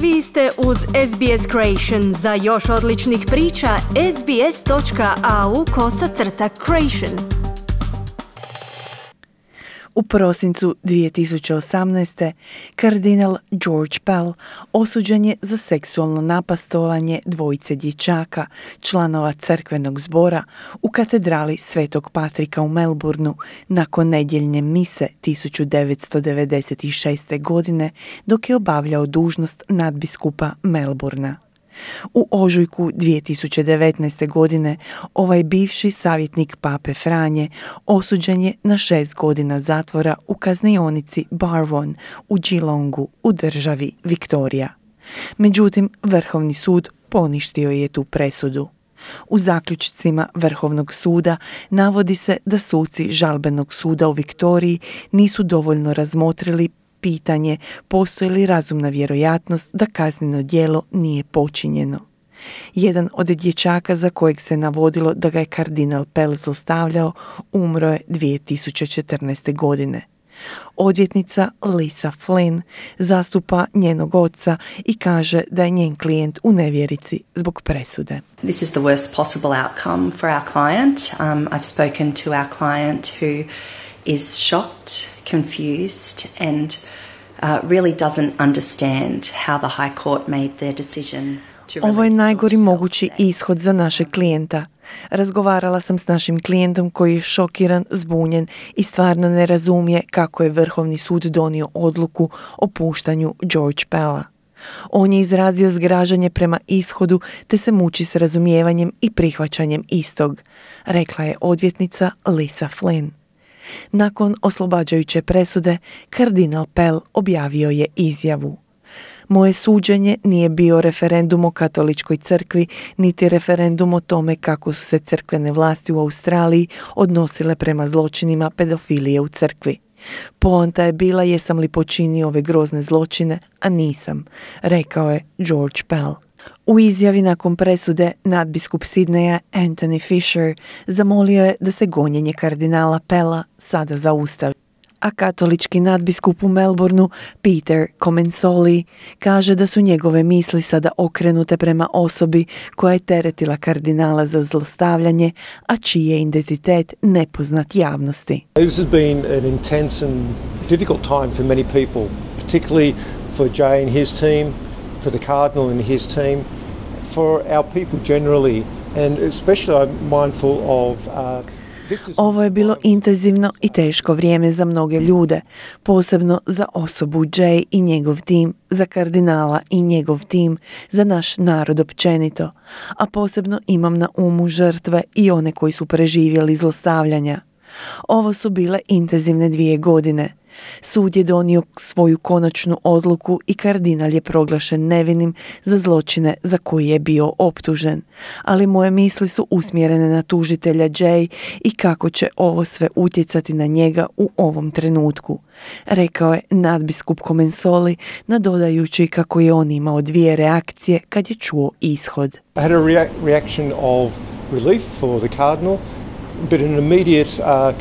Vi ste uz SBS Creation. Za još odličnih priča, sbs.au/creation. U prosincu 2018. kardinal George Pell osuđen je za seksualno napastovanje dvojice dječaka, članova crkvenog zbora u katedrali Svetog Patrika u Melbourneu nakon nedjeljne mise 1996. godine dok je obavljao dužnost nadbiskupa Melbournea. U ožujku 2019. godine ovaj bivši savjetnik pape Franje osuđen je na 6 godina zatvora u kaznionici Barwon u Geelongu u državi Viktorija. Međutim, Vrhovni sud poništio je tu presudu. U zaključcima Vrhovnog suda navodi se da suci žalbenog suda u Viktoriji nisu dovoljno razmotrili pitanje postoji li razumna vjerojatnost da kazneno djelo nije počinjeno. Jedan od dječaka za kojeg se navodilo da ga je kardinal Pell zlostavljao umro je 2014. godine. Odvjetnica Lisa Flynn zastupa njenog oca i kaže da je njen klijent u nevjerici zbog presude. This is the worst possible outcome for our client. I've spoken to our client who is shocked, confused and really doesn't understand how the High Court made their decision. Ovo je najgori mogući ishod za našeg klijenta. Razgovarala sam s našim klijentom koji je šokiran, zbunjen i stvarno ne razumije kako je Vrhovni sud donio odluku o puštanju George Pella. On je izrazio zgražanje prema ishodu te se muči s razumijevanjem i prihvaćanjem istog, rekla je odvjetnica Lisa Flynn. Nakon oslobađajuće presude, kardinal Pell objavio je izjavu. Moje suđenje nije bio referendum o katoličkoj crkvi, niti referendum o tome kako su se crkvene vlasti u Australiji odnosile prema zločinima pedofilije u crkvi. Poanta je bila jesam li počinio ove grozne zločine, a nisam, rekao je George Pell. U izjavi nakon presude nadbiskup Sidneja Anthony Fisher zamolio je da se gonjenje kardinala Pella sada zaustavi. A katolički nadbiskup u Melbourneu Peter Comensoli kaže da su njegove misli sada okrenute prema osobi koja je teretila kardinala za zlostavljanje, a čiji je identitet nepoznat javnosti. This has been an intense and difficult time for many people, particularly for Jay and his team, for the cardinal and his team, for our people generally, and especially I'm mindful of Ovo je bilo intenzivno i teško vrijeme za mnoge ljude, posebno za osobu Jay i njegov tim, za kardinala i njegov tim, za naš narod općenito, a posebno imam na umu žrtve i one koji su preživjeli zlostavljanja. Ovo su bile intenzivne 2 godine. Sud je donio svoju konačnu odluku i kardinal je proglašen nevinim za zločine za koje je bio optužen. Ali moje misli su usmjerene na tužitelja Jay i kako će ovo sve utjecati na njega u ovom trenutku, rekao je nadbiskup Comensoli, nadodajući kako je on imao 2 reakcije kad je čuo ishod. I had a reaction of relief for the cardinal, but an immediate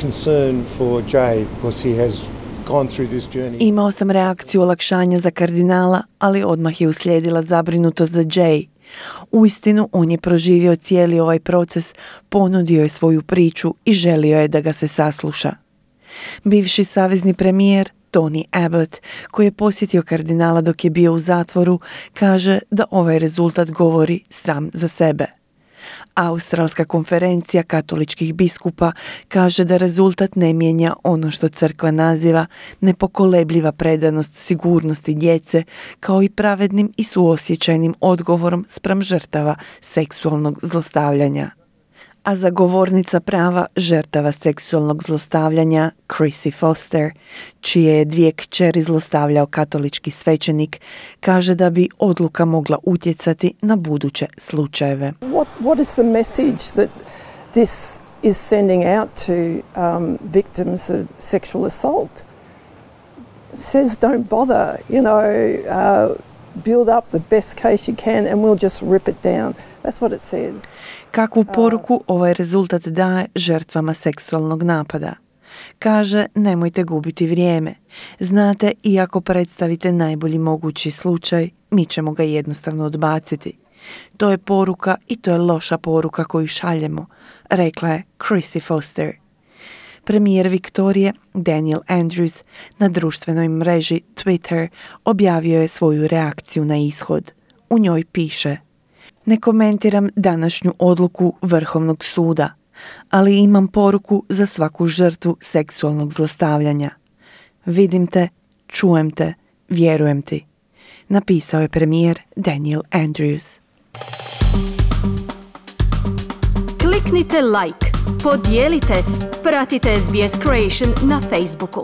concern for Jay because he has gone through this journey. Imao sam reakciju olakšanja za kardinala, ali odmah je uslijedila zabrinutost za Jay. Uistinu, on je proživio cijeli ovaj proces, ponudio je svoju priču i želio je da ga se sasluša. Bivši savezni premijer Tony Abbott, koji je posjetio kardinala dok je bio u zatvoru, kaže da ovaj rezultat govori sam za sebe. Australska konferencija katoličkih biskupa kaže da rezultat ne mijenja ono što crkva naziva nepokolebljiva predanost sigurnosti djece, kao i pravednim i suosjećajnim odgovorom spram žrtava seksualnog zlostavljanja. A zagovornica prava žrtava seksualnog zlostavljanja Chrissy Foster, čije je 2 kćeri zlostavljao katolički svećenik, kaže da bi odluka mogla utjecati na buduće slučajeve. What is the message that this is sending out to victims of sexual assault? It says don't bother, build up the best case you can and we'll just rip it down. That's what it says. Kakvu poruku ovaj rezultat daje žrtvama seksualnog napada? Kaže, nemojte gubiti vrijeme. Znate, iako predstavite najbolji mogući slučaj, mi ćemo ga jednostavno odbaciti. To je poruka i to je loša poruka koju šaljemo, rekla je Chrissy Foster. Premijer Viktorije, Daniel Andrews, na društvenoj mreži Twitter objavio je svoju reakciju na ishod. U njoj piše: ne komentiram današnju odluku Vrhovnog suda, ali imam poruku za svaku žrtvu seksualnog zlostavljanja. Vidim te, čujem te, vjerujem ti, napisao je premijer Daniel Andrews. Kliknite like, podijelite, pratite SBS Creation na Facebooku.